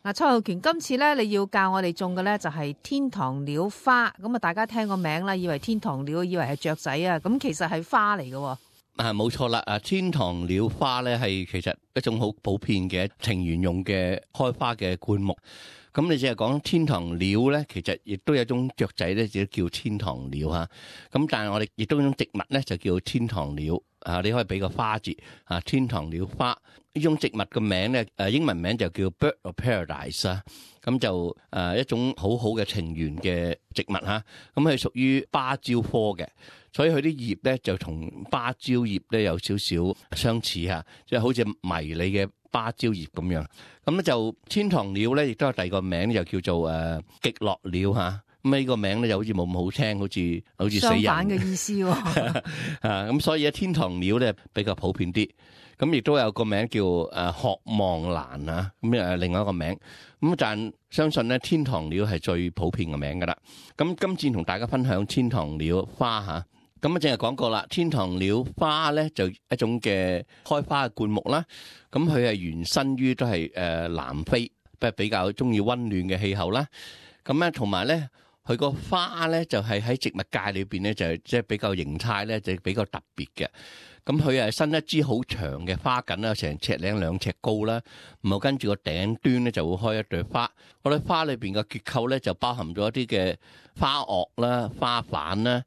嗱，蔡浩權，今次咧你要教我哋種嘅咧就係天堂鳥花，咁啊大家聽個名啦，以為天堂鳥，以為係雀仔啊，咁其實係花嚟嘅。冇錯啦，天堂鳥花咧係其實一種好普遍嘅庭園用嘅開花嘅灌木。咁你淨係講天堂鳥咧，其實亦都有一種雀仔咧，就叫天堂鳥嚇。咁但係我哋亦都有一種植物咧，就叫天堂鳥。你可以俾個花字天堂鳥花呢種植物嘅名咧，英文名就叫 Bird of Paradise 啊。咁就一種好好嘅庭園嘅植物嚇。咁係屬於芭蕉科嘅，所以佢啲葉咧就同芭蕉葉咧有少少相似嚇，即係好似迷你嘅芭蕉葉咁樣。咁咧就天堂鳥咧，亦都有第二個名，就叫做極樂鳥嚇。咁呢個名咧就好似冇咁好聽，好似死人。相反嘅意思喎。咁所以咧天堂鳥咧比較普遍啲。咁亦都有個名叫渴望蘭啊，咁另外一個名。咁但相信咧天堂鳥係最普遍嘅名噶啦。咁今次同大家分享天堂鳥花嚇。咁正係講過啦，天堂鳥花咧就一種嘅開花嘅灌木啦。咁佢係原生於都係南非，比較中意溫暖嘅氣候啦。咁咧同埋咧，佢個花咧就係喺植物界裏邊咧就係即係比較形態咧就比較特別嘅。咁佢係伸一支好長嘅花梗啦，成尺零2尺高啦，然後跟住個頂端咧就會開一朵花。嗰朵花裏邊嘅結構咧就包含咗一啲嘅花萼啦、花瓣啦，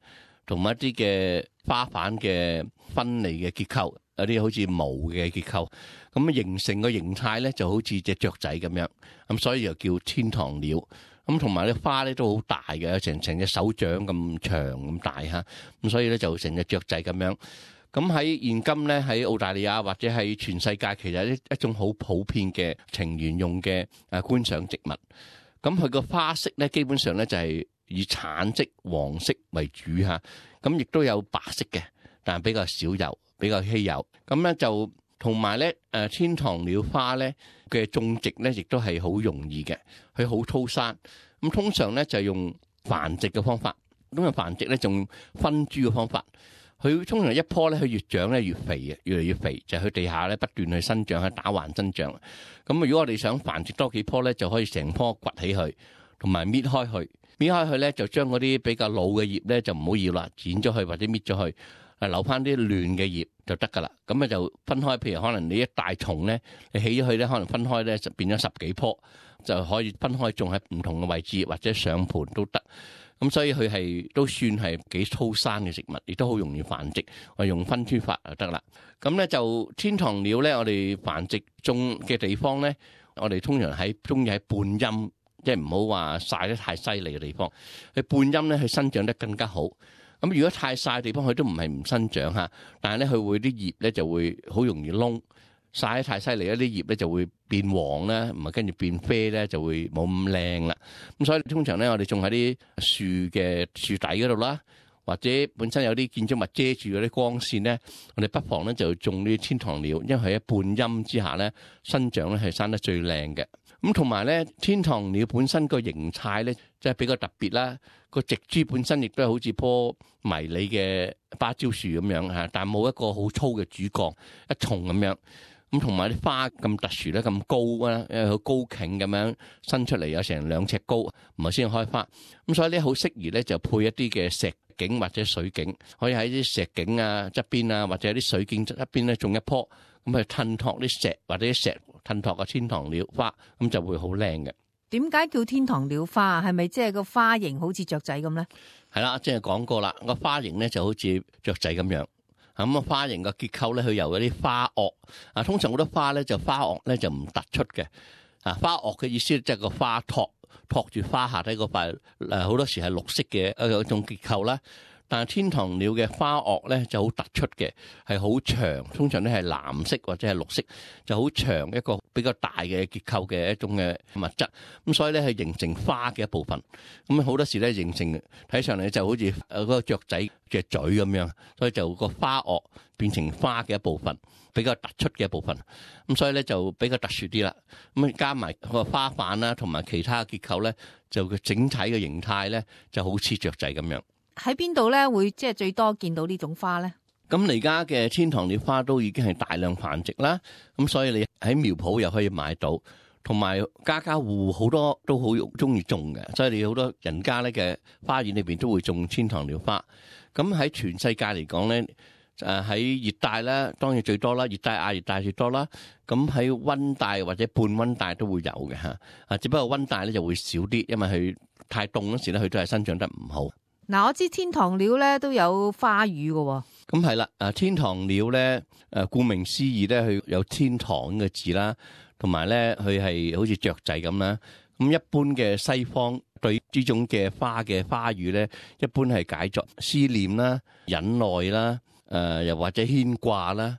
同埋一啲嘅花瓣嘅分離嘅結構，有啲好似毛嘅結構。咁形成個形態咧就好似隻雀仔咁樣。咁所以又叫天堂鳥。咁同埋啲花咧都好大嘅，成隻手掌咁長咁大嚇。咁所以咧就成隻雀仔咁樣。咁喺現今咧喺澳大利亞或者喺全世界，其實一種好普遍嘅庭園用嘅觀賞植物。咁佢個花色咧基本上咧就係以橙色、黃色為主嚇。咁亦都有白色嘅，但係比較少有，比較稀有。咁咧就同埋咧天堂鳥花咧嘅種植咧亦都係好容易嘅，佢好粗生。咁通常咧就用繁殖嘅方法，咁啊繁殖咧仲分株嘅方法。佢通常一棵咧，佢越長咧越肥嘅，越嚟越肥，就係佢地下咧不斷去生長，去打橫生長。咁如果我哋想繁殖多幾棵咧，就可以成棵掘起佢，同埋搣開佢。搣開佢咧，就將嗰啲比較老嘅葉咧就唔好要啦，剪咗佢或者搣咗佢，留翻啲嫩嘅葉就得噶啦。咁咧就分開，譬如可能你一大叢咧，你起咗佢咧，可能分開咧就變咗10幾棵，就可以分開種喺唔同嘅位置或者上盤都得。咁所以佢係都算係幾粗生嘅植物，亦都好容易繁殖。我用分株法就得啦。咁咧就天堂鳥咧，我哋繁殖種嘅地方咧，我哋通常中意喺半陰，即係唔好話曬得太犀利嘅地方。佢半陰咧，佢生長得更加好。咁如果太曬嘅地方，佢都唔係唔生長嚇，但係咧佢會啲葉咧就會好容易燶。曬得太犀利，一啲葉咧就會變黃啦，唔係跟住變啡咧，就會冇咁靚啦。咁所以通常咧，我哋種喺啲樹嘅樹底嗰度啦，或者本身有啲建築物遮住嗰啲光線咧，我哋不妨咧就種啲天堂鳥，因為佢喺半陰之下咧生長咧係生得最靚嘅。咁同埋咧，天堂鳥本身個形態咧，即係比較特別啦。個植株本身亦都係好似棵迷你嘅芭蕉樹咁樣嚇，但係冇一個好粗嘅主幹一叢咁樣。咁同埋啲花咁特殊咧，咁高啊，因為佢高莖咁樣伸出嚟，有成2尺高，唔係先開花。咁所以咧好適宜咧就配一啲嘅石景或者水景，可以喺啲石景啊側邊啊，或者啲水景側邊咧種一棵，咁去襯托啲石或者啲石襯托個天堂鳥花，咁就會好靚嘅。點解叫天堂鳥花啊？係咪即係個花型好似雀仔咁咧？係啦，即係講過啦，個花型咧就好似雀仔咁樣。咁啊，花型嘅結構咧，佢由嗰啲花萼啊，通常好多花咧就花萼咧就唔突出嘅啊。花萼嘅意思即係個花托住花下底嗰塊好多時係綠色嘅一種結構啦。但係天堂鳥嘅花萼咧就好突出嘅，係好長，通常都係藍色或者係綠色，就好長一個比較大嘅結構嘅一種嘅物質。咁所以咧係形成花嘅一部分。咁好多時咧形成睇上嚟就好似嗰個雀仔嘅嘴咁樣，所以就個花萼變成花嘅一部分，比較突出嘅一部分。咁所以咧就比較特殊啲啦。咁加埋個花瓣啦，同埋其他結構咧，就個整體嘅形態咧就好似雀仔咁樣。喺邊度咧會即係最多見到呢種花咧？咁而家嘅天堂鳥花都已經係大量繁殖啦，咁所以你喺苗圃又可以買到，同埋家家戶好多都好中意種嘅，所以你好多人家咧嘅花園裏邊都會種天堂鳥花。咁喺全世界嚟講咧，喺熱帶咧當然最多啦，熱帶亞熱帶最多啦。咁喺溫帶或者半溫帶都會有嘅嚇，只不過溫帶咧就會少啲，因為佢太凍嗰時咧，佢都係生長得唔好。嗱，我知天堂鳥咧都有花語嘅喎。咁係啦，天堂鳥咧，顧名思義咧，佢有天堂嘅字啦，同埋咧佢係好似雀仔咁啦。咁一般嘅西方對呢種嘅花嘅花語咧，一般係解作思念啦、忍耐啦，又或者牽掛啦，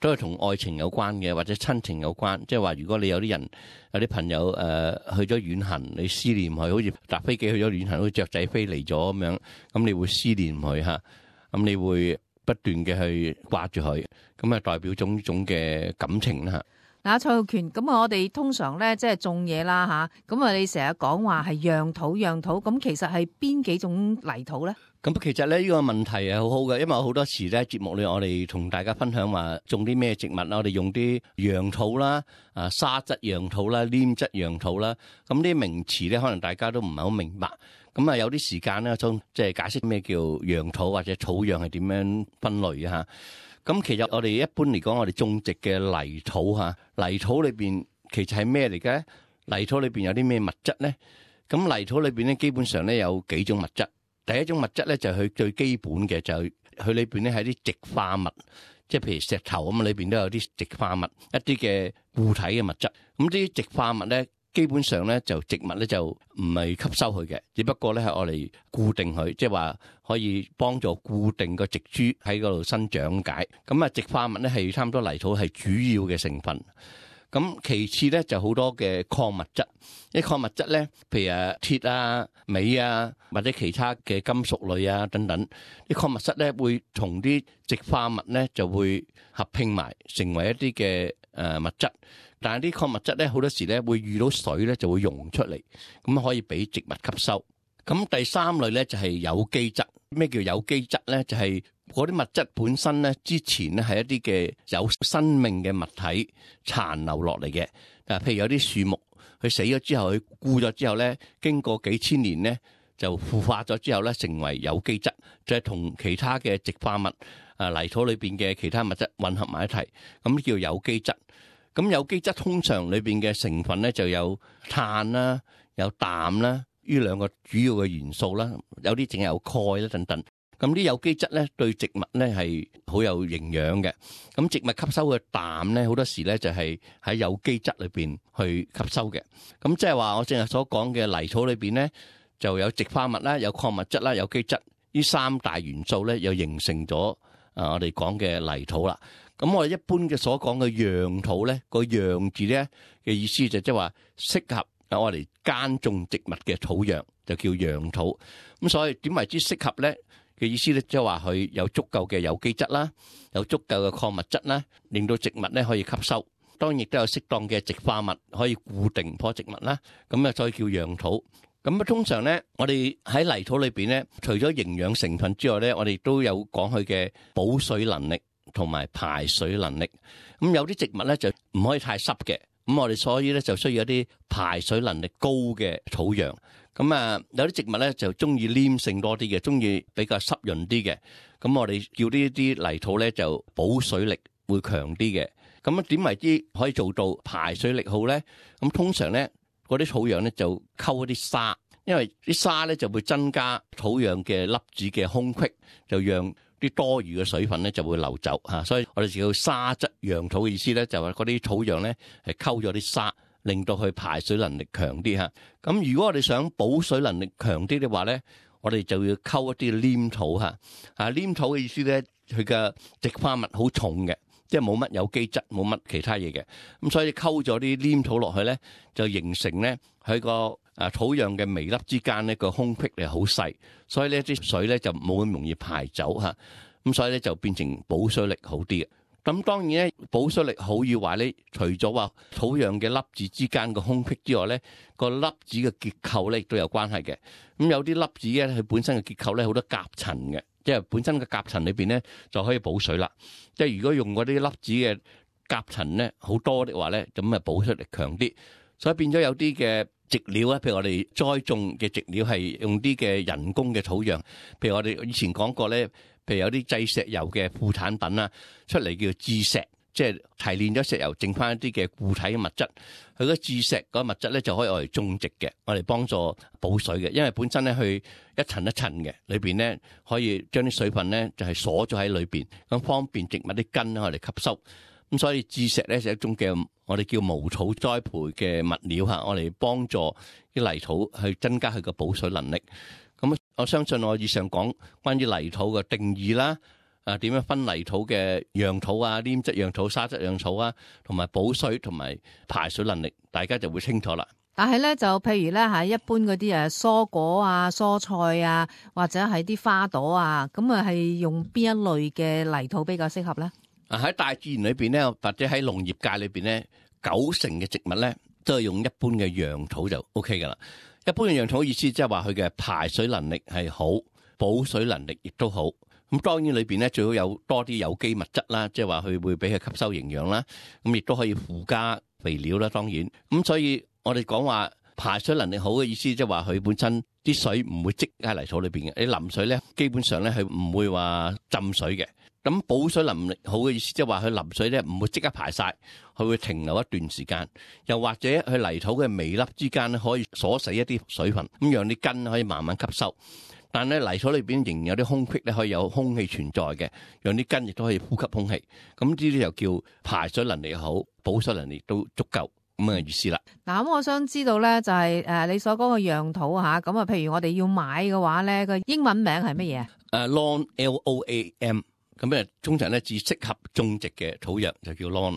都係同愛情有關嘅，或者親情有關。即係話，如果你有啲人有啲朋友去咗遠行，你思念佢，好似搭飛機去咗遠行，好似雀仔飛嚟咗咁樣，咁你會思念佢嚇，咁你會不斷嘅去掛住佢，咁啊代表種嘅感情啦。嗱，蔡浩權，咁我哋通常咧即係種嘢啦吓，咁你成日講話係讓土，咁其實係邊幾種泥土咧？咁其實咧呢個問題係好好嘅，因為好多時咧節目裏我哋同大家分享話種啲咩植物啦，我哋用啲讓土啦、沙質讓土啦、黏質讓土啦，咁呢啲名詞咧可能大家都唔係好明白。咁有啲時間咧，即係解釋咩叫讓土或者土壤係點樣分類啊？咁其實我哋一般嚟講，我哋種植嘅泥土泥土裏邊其實係咩嚟嘅？泥土裏邊有啲咩物質咧？咁泥土裏邊咧，基本上咧有幾種物質。第一種物質咧就係佢最基本嘅，就係佢裏邊咧係啲矽化物，即係譬如石頭咁啊，裏邊都有啲矽化物，一啲嘅固體嘅物質。咁啲矽化物咧，基本上咧就植物咧就唔係吸收佢嘅，只不過咧係愛嚟固定佢，即係話可以幫助固定個植株喺嗰度生長解。咁矽化物咧係差唔多泥土係主要嘅成分。咁其次咧就好多嘅礦物質，啲礦物質咧，譬如鐵啊、鎂啊，或者其他嘅金屬類啊等等，啲礦物質咧會同啲矽化物咧就會合併埋，成為一啲嘅物質。但係啲礦物質咧好多時咧會遇到水咧就會溶出嚟，咁可以俾植物吸收。咁第三類咧就係有機質。咩叫有機質咧？就係嗰啲物質本身咧之前咧係一啲嘅有生命嘅物體殘留落嚟嘅。譬如有啲樹木佢死咗之後，佢枯咗之後咧，經過幾千年咧就腐化咗之後咧成為有機質，就係同其他嘅矽化物泥土裏邊嘅其他物質混合埋一齊，咁叫有機質。咁有機質通常裏邊嘅成分咧就有碳啦、有氮啦，呢兩個主要嘅元素啦，有啲淨係有鈣啦等等。咁啲有機質咧對植物咧係好有營養嘅。咁植物吸收嘅氮咧好多時咧就係喺有機質裏邊去吸收嘅。咁即係話我正係所講嘅泥土裏邊咧就有矽化物啦、有礦物質啦、有機質，呢三大元素咧又形成咗我哋講嘅泥土啦。咁我哋一般嘅所講嘅讓土咧，個讓字咧嘅意思就即係話適合我哋耕種植物嘅土壤，就叫讓土。咁所以點為之適合咧嘅意思咧，即係話佢有足夠嘅有機質啦，有足夠嘅礦物質啦，令到植物咧可以吸收。當然亦都有適當嘅矽化物可以固定棵植物啦。咁啊，所以叫讓土。咁通常咧，我哋喺泥土裏邊咧，除咗營養成分之外咧，我哋都有講佢嘅保水能力同埋排水能力。咁有啲植物咧就唔可以太濕嘅，咁我哋所以咧就需要一啲排水能力高嘅土壤。咁有啲植物咧就中意黏性多啲嘅，中意比較濕潤啲嘅。咁我哋叫呢啲泥土咧就保水力會強啲嘅。咁點為之可以做到排水力好咧？咁通常咧嗰啲土壤咧就溝一啲沙，因為啲沙咧就會增加土壤嘅粒子嘅空隙，就讓啲多餘嘅水分咧就會流走嚇。所以我哋叫沙質讓土嘅意思咧，就係嗰啲土壤咧係溝咗啲沙，令到佢排水能力強啲嚇。咁如果我哋想保水能力強啲嘅話咧，我哋就要溝一啲黏土嚇。黏土嘅意思咧，佢嘅矽化物好重嘅，即係冇乜有機質，冇乜其他嘢嘅。咁所以溝咗啲黏土落去咧，就形成咧佢個土壤嘅微粒之間呢個空隙係好細，所以呢啲水咧就冇咁容易排走嚇。咁所以咧就變成保水力好啲嘅。咁當然咧，保水力好與壞咧，除咗話土壤嘅粒子之間嘅空隙之外咧，個粒子嘅結構咧亦都有關係嘅。咁有啲粒子咧，佢本身嘅結構咧好多夾層嘅，即係本身嘅夾層裏邊咧就可以保水啦。即係如果用嗰啲粒子嘅夾層咧好多的話咧，咁啊保水力強啲。所以變咗有啲嘅植料啊，譬如我哋栽種嘅植料係用啲嘅人工嘅土壤，譬如我哋以前講過咧，譬如有啲製石油嘅副產品啦，出嚟叫致石，即係提煉咗石油，剩翻一啲嘅固體嘅物質。佢個致石嗰個物質咧就可以用嚟種植嘅，我哋幫助補水嘅，因為本身咧佢一層一層嘅，裏邊咧可以將啲水分咧就係鎖咗喺裏邊，咁方便植物啲根我哋吸收。咁所以致石咧係一種嘅我哋叫無土栽培嘅物料嚇，我哋幫助啲泥土去增加佢個補水能力。咁我相信我以上講關於泥土嘅定義啦，點樣分泥土嘅樣土啊、黏質樣土、沙質樣土啊，同埋補水同埋排水能力，大家就會清楚啦。但係咧就譬如咧係一般嗰啲蔬果啊、蔬菜啊，或者係啲花朵啊，咁啊係用邊一類嘅泥土比較適合咧？喺大自然裏邊咧，或者喺農業界裏邊咧，90%嘅植物咧都係用一般嘅樣土就 OK 噶啦。一般嘅樣土意思即係話佢嘅排水能力係好，補水能力亦都好。咁當然裏邊咧最好有多啲有機物質啦，即係話佢會俾佢吸收營養啦。咁亦都可以附加肥料啦，當然。咁所以我哋講話排水能力好嘅意思，即係話佢本身啲水唔會積喺泥土裏邊嘅。你淋水咧，基本上咧係唔會話浸水嘅。咁補水能力好嘅意思，即係話佢淋水咧唔會即刻排晒，佢會停留一段時間，又或者佢泥土嘅微粒之間咧可以鎖死一啲水分，咁讓啲根可以慢慢吸收。但係咧泥土裏邊仍然有啲空隙咧，可以有空氣存在嘅，讓啲根亦都可以呼吸空氣。咁呢啲就叫排水能力好，補水能力都足夠咁嘅意思啦。嗱，咁我想知道咧就係你所講嘅樣土嚇，咁啊譬如我哋要買嘅話咧，個英文名係乜嘢？Lawn L-O-A-M。咁通常咧只適合種植嘅土壤就叫 lawn。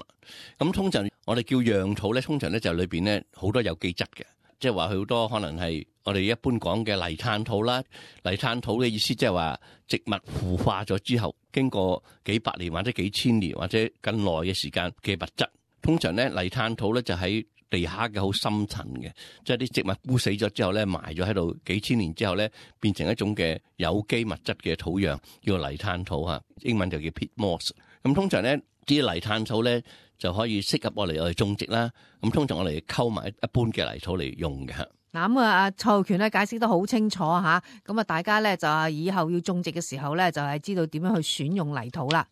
咁通常我哋叫樣土咧，通常咧就裏邊咧好多有機質嘅，即係話佢好多可能係我哋一般講嘅泥炭土啦。泥炭土嘅意思即係話植物腐化咗之後，經過幾百年或者幾千年或者更耐嘅時間嘅物質。通常咧泥炭土咧就喺地下嘅好深層嘅，即係啲植物枯死咗之後咧，埋咗喺度幾千年之後咧，變成一種嘅有機物質嘅土壤，叫泥炭土嚇，英文就叫 peat moss。咁通常咧啲泥炭土咧就可以適合我哋種植啦。咁通常我哋溝埋一般嘅泥土嚟用嘅嚇。嗱咁啊，蔡浩權咧解釋得好清楚嚇，咁啊大家咧就以後要種植嘅時候咧就係知道點樣去選用泥土啦。